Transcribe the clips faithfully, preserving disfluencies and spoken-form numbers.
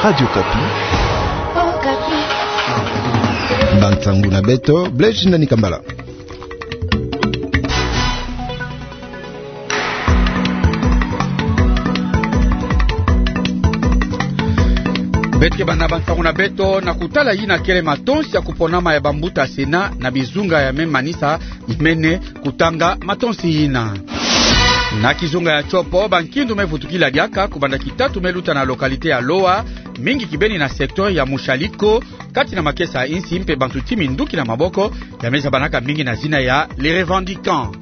Radio Okapi. Bansangu na beto, Blaise Ndani Kambala. Beto ke banda bansangu na beto na kutala yina kele matonsi ya kuponama ya bambuta Sénat na bizunga ya me manisa mene kutanga matonsi yina. Na kizunga ya Tshopo, bankindu me vutukila diaka kubanda kitatu me luta na localité ya Loa, mingi kibeni na secteur ya Mushaliko, kati na makesa ya insi mpe bantu ti minduki na maboko ya me zabanaka mingi na zina ya Les Revendicants.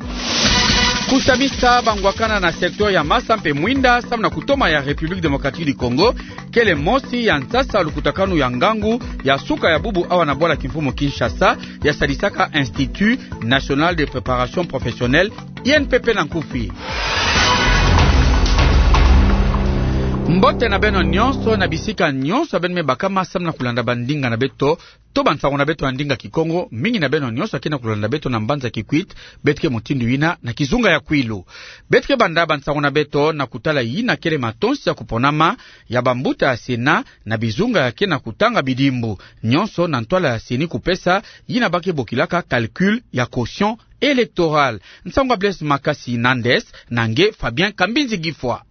Kusamisa bangwakana na secteur ya Massa mpe Mwinda, samu na kutoma ya République Démocratique du Congo, kele mosi ya nsasa lukutakanu ya ngangu ya suka ya bubu awa na bwala kimfumu Kinshasa, ya sadisaka Institut National de Préparation Professionnelle, I N P P na nkufi. Mbote na beno nyonso na bisika nyonso beno me bakama samu na kulanda bandinga na beto, to bansangu na beto ya ndinga Kikongo, mingi na beno nyonso ke na kulanda beto na mbanza Kikwit, beto ke mutindu yina na kizunga ya Kwilu. Beto ke banda bansangu na beto na kutala yina kele matonsi ya kuponama ya bambuta ya Sénat na bizunga ya ke na kutanga bidimbu, nyonso na ntwala ya CENI kupesa yina ba ke bokilaka calcul ya quotient électoral. Nsangu ya Blaise Makasi Nandes, na nge Fabien Kambinzi Gifwa.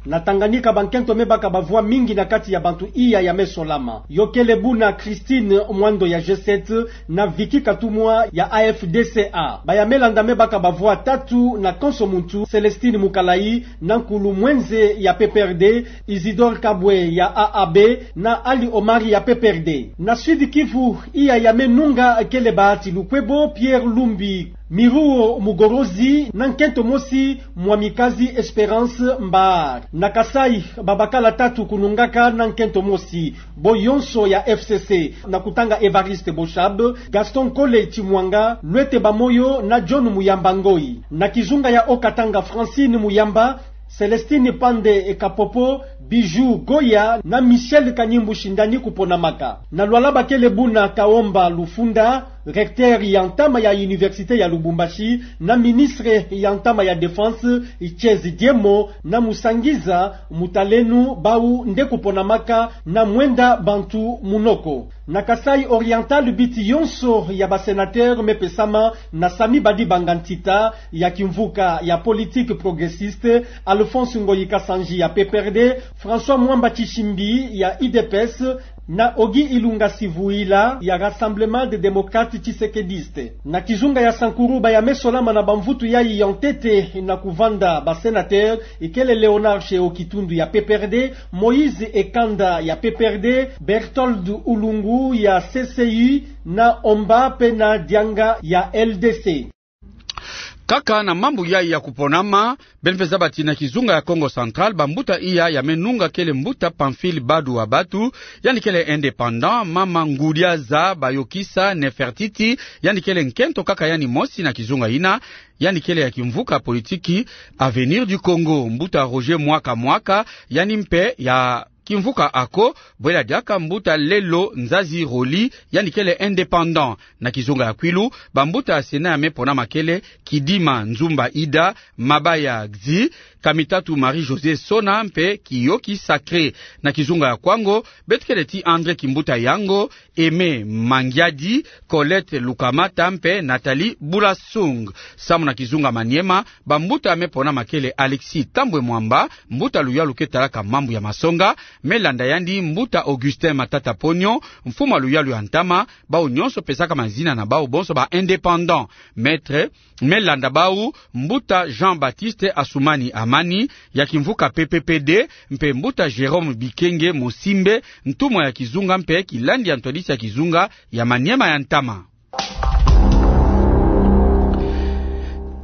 Na Tanganyika, bankento me baka bavoix mingi na kati ya bantu iya ya me solama. Yo kele buna Christine Mwando ya G sept na Vicky Katumwa ya A F D C A. Ba ya me landa me baka bavoix tatu na konso muntu: Célestine Mukalayi na Nkulu Mwenze ya P P R D, Isidore Kabwe ya A A B, na Ali Omari ya P P R D. Na Sud Kivu, iya ya me nunga kele Bahati Lukwebo, Pierre Lumbi, Miruo Mugorozi na nkento mosi Mwamikazi Espérance Mbaar. Na Kasaï, babakala tatu kunungaka na nkento mosi, bo yonso ya F C C, na kutanga Évariste Boshab, Gaston Kole Tshimwanga, Luete Bamoyo na John Muyamba Ngoyi. Na kizunga ya Haut-Katanga, Francine Muyamba, Célestine Pande Kapopo, Bijou Goya na Michel Kanyimbu Shindani kuponamaka. Na Lualaba, kele buna Kaomba Lufunda, recteur ya ntama ya Université ya Lubumbashi, na ministre ya ntama ya Défense, Tshezi Diemo, na Musangiza Mutalenu, bau nde kuponamaka na mwenda bantu munoko. Na Kasaï Oriental, biti yonso ya ba sénateur me pesama na Samy Badibanga Ntita ya kimvuka ya Politique Progressiste, Alphonse Ngoyi Kasanji ya P P R D, François Mwamba Tshishimbi ya U D P S, na Ogi Ilunga Sivuila ya Rassemblement des Démocrates Tshisekedistes. Na kizunga ya Sankuru, ba ya me solama na bamvutu yayi ya ntete na kuvanda ba sénateur, ikele Léonard Sheho Kitundu ya P P R D, Moïse Ekanda ya P P R D, Berthold Ulungu ya C C U, na Omba Pena Dianga ya L D C. Kaka na mambu yayi ya kuponama, beno pe zaba ti na kizunga ya Kongo Central, bambuta iya ya me nunga kele mbuta Pamphile Badu wa Batu, yandi kele indépendant, mama Ngudiaza Bayokisa Nefertiti, yandi kele nkento kaka yandi mosi na kizunga yina, yandi kele ya kimvuka politiki Avenir du Congo. Mbuta Roger Mwaka Mwaka, yandi mpe ya kimvuka ako, bwela diaka mbuta Lelo Nzazi Roli, yandi kele indépendant. Na kizunga ya Kwilu, bambuta ya Sénat ya me ponama kele Kidima Nzumba Ida, Mabaya Xi, Kamitatu Marie-Josée Sona mpe Kiyoki Sacré. Na kizunga ya Kwango, beto kele ti André Kimbuta Yango, Aimé Mangiadi, Colette Lukamata mpe Nathalie Bulasung. Samu na kizunga Maniema, bambuta ya me ponama kele Alexis Thambwe Mwamba, mbuta luyalu ke talaka mambu ya masonga, me landa yandi mbuta Augustin Matata Ponyo, mfumu ya luyalu ya ntama, bau nyonso pesaka mazina na bau bonso ba indépendant. Maître, me landa bau, mbuta Jean-Baptiste Assoumani Amani, ya kimvuka P P P D, mpe mbuta Jérôme Bikenge Mosimbe, ntumwa ya kizunga mpe kilandi ya ntwadisi ya kizunga ya Maniema ya ntama.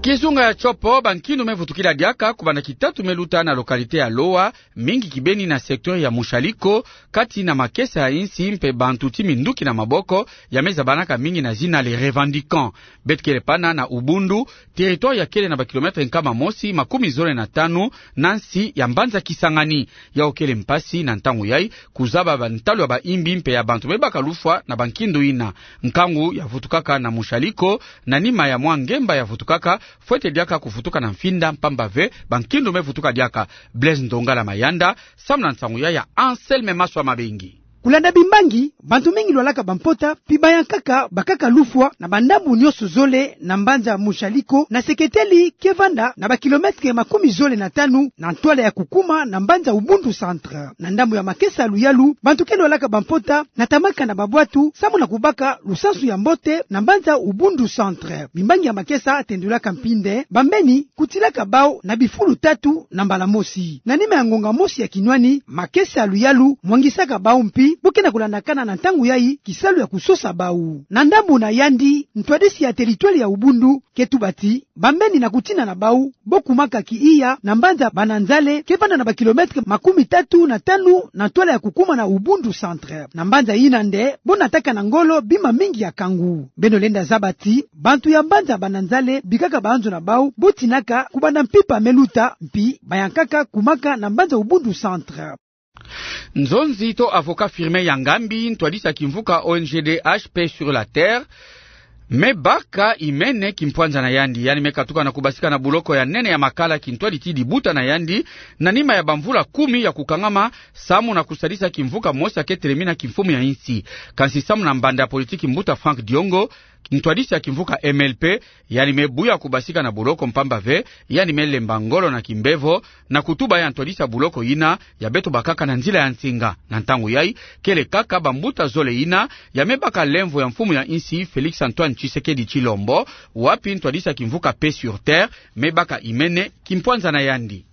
Kizunga ya Tshopo, bankindu me vutukila diaka, kubanda kitatu me luta na localité ya Loa, mingi kibeni na secteur ya Mushaliko, kati na makesa ya insi mpe bantu ti minduki na maboko, ya me zabanaka mingi na zina Les Revendicants. Beto kele pana na Ubundu, territoire ya kele na ba kilomètre nkama mosi makumi zole na tanu na nsi ya mbanza Kisangani. Yau kele mpasi na ntangu yayi kuzaba bantalu ya baimbi mpe ya bantu me baka lufwa na bankindu yina. Nkangu ya vutukaka na Mushaliko, na nima ya mwa ngemba ya vutukaka, Fwete diaka kuvutuka na mfinda mpamba ve bankindu me vutuka diaka. Blaise Ndongala Mayanda, samu na nsangu ya ya Anselme Maswa Mabengi. Kulanda bimbangi, bantu mingi lwalaka bampota, mpi bayankaka bakaka lufwa na bandambu nyonso zole na mbanza Mushaliko, na seketeli ke vanda na bakilometre makumi zole na tanu na ntwala ya kukuma na mbanza Ubundu Centre. Na ndambu ya makesa luyalu, bantu ke lwalaka bampota natamaka na babwatu samu na kubaka lusansu ya mbote na mbanza Ubundu Centre. Bimbangi ya makesa tendulaka mpi nde bambeni kutilaka bau na bifulu tatu na mbala mosi. Na nima ya ngonga mosi ya kinwani, makesa luyalu mwangisaka bau mpi bo ke na kulandakana na ntangu yayi kisalu ya kusosa bau. Na ndambu na yandi, ntwadisi ya teritware ya Ubundu ke tuba ti bambeni na kutina na bau bo kumaka kiiya na mbanza Bananzale, ke vanda na bakilometre makumi tatu na tanu na ntwala ya kukuma na Ubundu Centre. Na mbanza yina nde bo nataka na ngolo bima mingi ya kangu. Beno lenda zaba ti bantu ya mbanza Bananzale bikaka banzo na bau bo tinaka kubanda mpimpa me luta, mpi bayankaka kumaka na mbanza Ubundu Centre. Nzonzi to avocat Firmin Yangambi, ntwadisi ya kimvuka O N G D H, Paix sur la Terre, me baka imene kimpwanza na yandi, yandi me katuka na kubasika na buloko ya nene ya Makala kintwadi ti dibuta na yandi, na nima ya bamvula kumi ya kukangama samu na kusadisa kimvuka mosi ya ke telemina kimfumu ya insi. Kansi samu na mbanda ya politiki mbuta Franck Diongo, ntwadisi ya kimvuka M L P, yandi me buya kubasika na buloko mpamba ve yandi me lemba ngolo na kimbevo, na kutuba ya ntwadisi ya buloko yina ya beto bakaka na nzila ya nsinga. Na ntangu yayi, kele kaka bambuta zole yina ya me baka lemvo ya mfumu ya insi Félix Antoine Tshisekedi Tshilombo, wapi ntwadisi ya kimvuka Paix sur Terre me baka imene kimpwanza na yandi.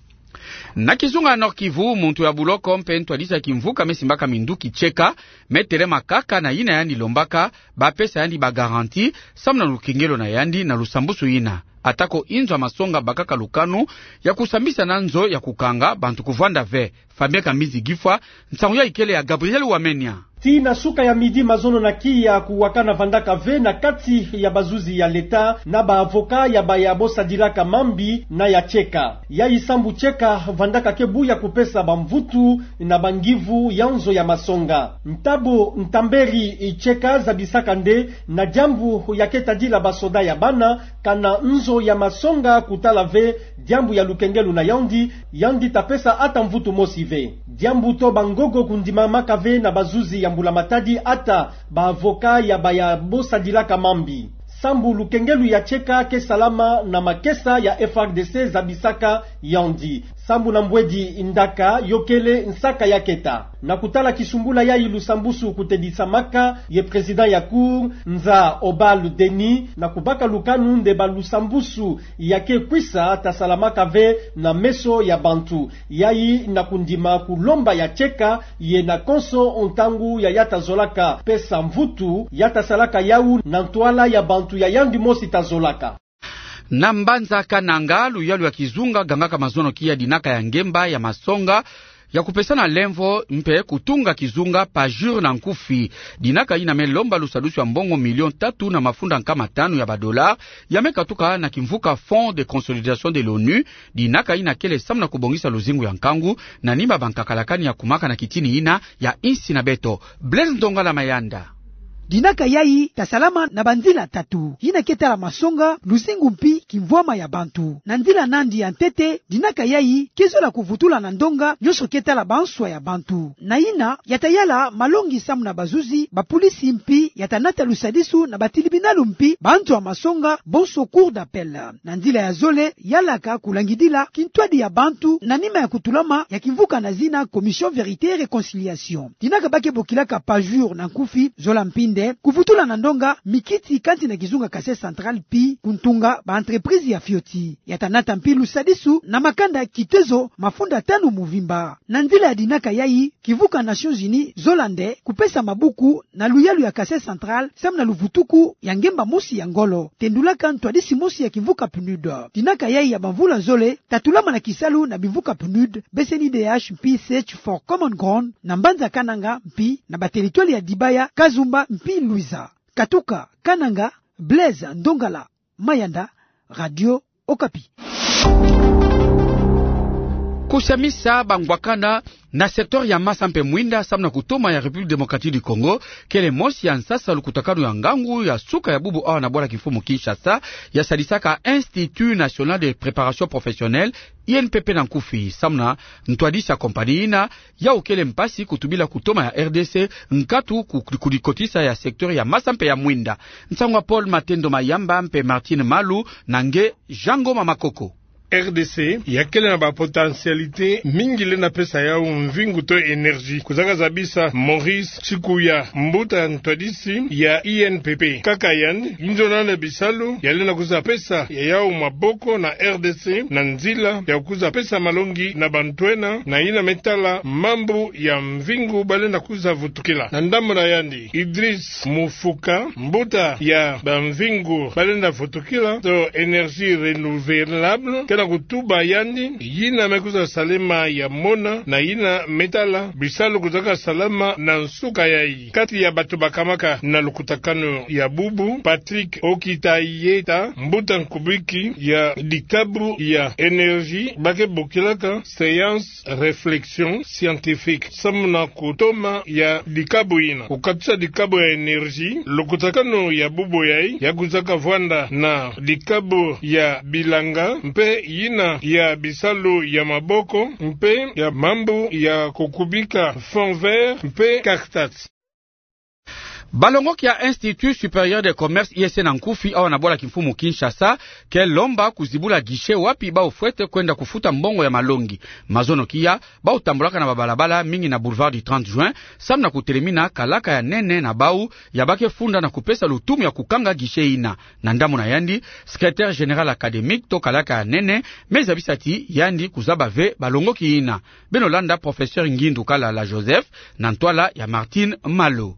Na kizunga Nord-Kivu, muntu ya buloko mpe ntwadisi ya kimvuka me simbaka minduki Tsheka me telema kaka na yina yandi lombaka bapesa yandi ba garantie samu na lukengelo na yandi na lusambusu yina. Atako inzo ya masonga bakaka lukanu ya kusambisa na nzo ya kukanga bantu kuvwanda ve. Fabien Kambinzi Gifwa, nsangu yayi kele ya Gabriel Wamenya. Tii na suka ya midi mazono na kiya kuwakana vandaka ve na kati ya bazuzi ya leta na ba avocat ya baya bosadilaka mambi na ya Tsheka. Yayi sambu Tsheka vandaka ke buya kupesa bamvutu na bangivu ya nzo ya masonga. Ntabo Ntamberi Tsheka zabisaka nde na diambu ya ke tadila basoda ya bana, kana nzo ya masonga kutala ve diambu ya lukengelo na yandi, yandi ta pesa ata mvutu mosi ve. Diambu to bangogo kundimamaka ve na bazuzi ya mbula matadi ata ba avocat ya baya bosadilaka mambi. Sambu lukengelo ya Tsheka ke salama na makesa ya F R D C zabisaka yandi. Sambu na mbwedi ndaka yo kele nsaka ya keta. Na kutala kisumbula yayi lusambusu kutedisamaka ye président ya Cour, Nza Obal Denis, na kubaka lukanu nde ba lusambusu ya ke kwisa ta salamaka ve na meso ya bantu. Yayi na kundima kulomba ya Tsheka ye na konso ntangu ya ya ta zolaka pesa mvutu, ya ta salaka yawu na ntwala ya bantu ya yandi mosi ta zolaka. Na mbanza Kananga, luyalu ya kizunga gangaka mazono kiya dinaka ya ngemba ya masonga ya kupesana lemvo mpe kutunga kizunga PAJUR na nkufi. Dinaka yina me lomba lusadusu ya mbongo million tatu na mafunda nkama tanu ya ba dollars, ya me katuka na kimvuka Fonds de consolidation de l'ONU. Dinaka yina kele samu na kubongisa luzingu ya nkangu na nima bankakalakani ya kumaka na kitini yina ya insi na beto. Blaise Ndongala Mayanda. Dinaka yayi ta salama na banzila tatu, yina ke tala masonga, luzingu mpi kimvwama ya bantu. Na nzila nandi ya ntete, dinaka yayi ke zola kuvutula na ndonga nyonso ke tala banswa ya bantu. Na yina ya ta yala malongi samu na bazuzi, bapolisi mpi ya ta nata lusadisu na batilibinalu mpi banzo ya masonga, bonso cour d'appel. Na nzila ya zole, yalaka kulangidila kintwadi ya bantu na nima ya kutulama ya kimvuka na zina Commission Vérité et Réconciliation. Dinaka ba ke bokilaka PAJUR na nkufi, zola mpi nde kuvutula na ndonga mikiti kati na kizunga Kasai Central mpi kuntunga ba entreprise ya fioti. Ya ta nata mpi lusadisu na makanda kitezo mafunda tanu muvimba. Na nzila ya dinaka yayi, kimvuka Nations Unies zola nde kupesa mabuku na luyalu ya Kasai Central samu na luvutuku ya ngemba mosi ya ngolo, tendulaka ntwadisi mosi ya kimvuka PNUD. Dinaka yayi ya bamvula zole ta tulama na kisalu na bimvuka PNUD, B C N U D H mpi Search for Common Ground na mbanza Kananga mpi na ba territoire ya Dibaya, Kazumba mpi Luiza. Katuka Kananga, Blaise Ndongala Mayanda, Radio Okapi. Kusamisa bangwakana na secteur ya masa mpe mwinda samu na kutoma ya République Démocratique du Congo, kele mosi ya nsasa lukutakanu ya ngangu ya suka ya bubu awa na bwala kimfumu Kinshasa, ya sadisaka Institut National de Préparation Professionnelle, I N P P na nkufi, samu na ntwadisi ya compagnie ina, yau kele mpasi kutubila kutoma ya R D C, nkatu ku-, kudikotisa ya secteur ya masa mpe ya mwinda. Nsangu ya Paul Matendo Mayamba mpe Martine Malu, na nge Jean Ngoma Makoko. R D C ya kele na ba potentialité mingi lenda pesa yau mvingu to énergie. Kuzaka zabisa Maurice Chikuya, mbuta ntwadisi ya I N P P. Kaka yandi, inzo nana bisalu ya lenda kuza pesa ya yau maboko na R D C na nzila ya kuza pesa malongi na bantu ena, na ina me tala mambu ya mvingu ba lenda kuza vutukila. Na ndambu na yandi, Idriss Moufoukha, mbuta ya bamvingu ba lenda vutukila to énergie renouvelable, ke na kutuba yandi, yina me kuza salama ya mona, na yina me tala bisalu kuzaka salama na nsuka yayi. Kati ya bantu bakamaka na lukutakanu ya bubu, Patrick Okitayeta, mbuta nkubiki ya dikabu ya énergie, ba ke bokilaka séance réflexion scientifique samu na kutoma ya dikabu ina. Kukatusa dikabu ya énergie, lukutakanu ya bubu yayi ya kuzaka vwanda na dikabu ya bilanga, mpe yina ya bisalu ya maboko, mpe ya mambu ya kukubika fonds vert, mpe cartes. Balongoki ya Institut Supérieur de Commerce, I S C na nkufi, awa na bwala kimfumu Kinshasa, ke lomba kuzibula guichet wapi bau fwete kwenda kufuta mbongo ya malongi. Mazono kia, bau tambulaka na babalabala mingi na boulevard du trente juin, samu na kutelemina kalaka ya nene na bau, ya ba ke funda na kupesa lutumu ya kukanga guichet ina. Na ndambu na yandi, secrétaire général académique to kalaka ya nene, me zabisa ti yandi kuzaba ve balongoki ina. Beno landa professeur Ngindu Kalala Joseph na ntwala ya Martine Malu.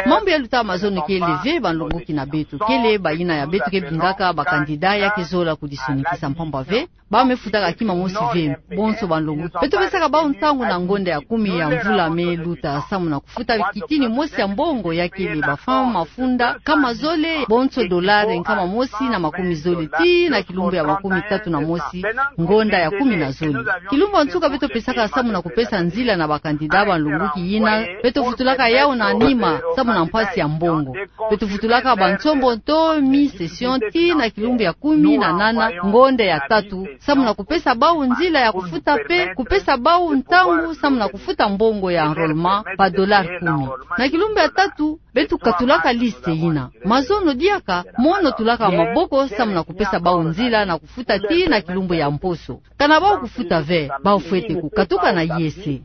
Mambu ya luta mazono kele ve banlongoki na beto, kele bayina ya beto ke bingaka ba candidat ya ke zola kudisonikisa, mpamba ve bau me futaka kima mosi ve bonso banlongoki. Beto pesaka bau ntangu na ngonda ya kumi ya mvula me luta samu na kufuta kitini mosi ya mbongo, ya kele ba franc mafunda nkama zole, bonso dolare nkama mosi na makumi zole tii na kilumbu ya makumi tatu na mosi, ngonda ya kumi na zole. Kilumbu ya nsuka beto pesaka samu na kupesa nzila na ba candidat banlongoki yina, beto vutulaka yau na nima samu na mpasi ya mbongo. Beto vutulaka ba nsombo to mi-session tii na kilumbu ya kumi na nana, ngonda ya tatu, samu na kupesa bau nzila ya kufuta mpe kupesa bau ntangu samu na kufuta mbongo ya enrôlement, ba dolare kumi. Na kilumbu ya tatu, beto katulaka liste yina. Mazono diaka, mono tulaka maboko samu na kupesa bau nzila na kufuta tii na kilumbu ya mposo. Kana bau kufuta ve, bau fwete kukatuka na I S C.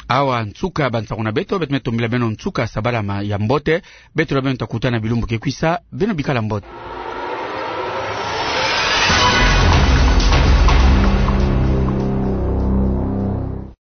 Awa nsuka ya bansangu na beto, beto me tombila beno nsuka ya sabala ma-, ya mbote. Beto na beno ta kutana bilumbu ke kwisa, beno bikala mbote.